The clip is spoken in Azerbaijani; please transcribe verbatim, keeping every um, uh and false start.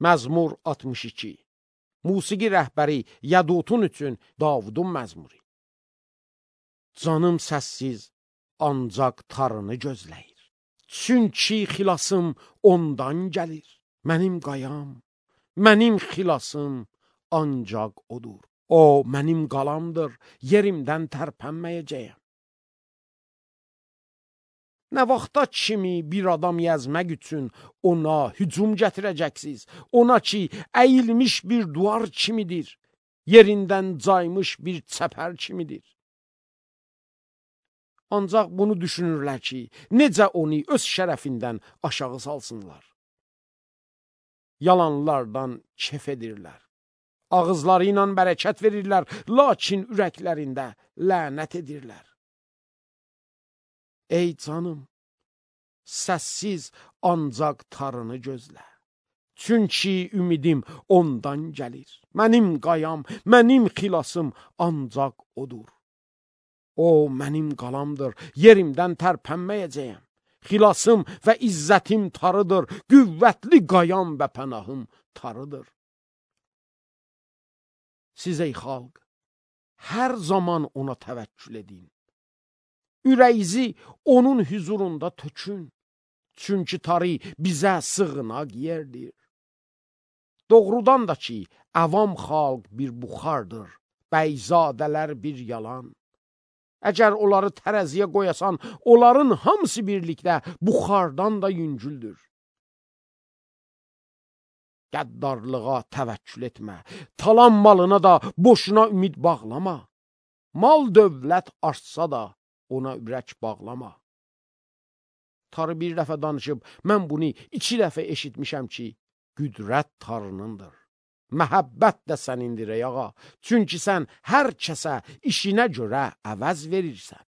Məzmur altmış iki. Musiqi rəhbəri Yədutun üçün Davudun məzmuri. Canım səssiz ancaq tarını gözləyir. Çünki xilasım ondan gəlir. Mənim qayam, mənim xilasım ancaq odur. O mənim qalamdır, yerimdən tərpənməyəcəyəm. Nə vaxta kimi bir adam yazmaq üçün ona hücum gətirəcəksiniz? Ona ki, əyilmiş bir duvar kimidir, yerindən caymış bir çəpər kimidir. Ancaq bunu düşünürlər ki, necə onu öz şərəfindən aşağı salsınlar. Yalanlardan kef edirlər. Ağızları ilə bərəkət verirlər, lakin ürəklərində lənət edirlər. Ey canım, səssiz ancaq tarını gözlə. Çünki ümidim ondan gəlir. Mənim qayam, mənim xilasım ancaq odur. O mənim qalamdır, yerimdən tərpənməyəcəyəm. Xilasım və izzətim tarıdır, qüvvətli qayam və pənahım tarıdır. Siz ey xalq, hər zaman ona təvəkkül edin. Ürəyinizi onun huzurunda tökün. Çünki tarı bizə sığınaq yerdir. Doğrudan da ki, əvam xalq bir buxardır, bəyzadələr bir yalan. Əgər onları tərəziyə qoyasan, onların hamısı birlikdə buxardan da yüngüldür. Qəddarlığa təvəkkül etmə, talan malına da boşuna ümid bağlama. Mal dövlət artsa da ona ürək bağlama. Tarı bir dəfə danışıb, mən bunu iki dəfə eşitmişəm ki, qüdrət tarınındır. Məhəbbət də sənindir ey ağa, çünki sən hər kəsə işinə görə əvəz verirsən.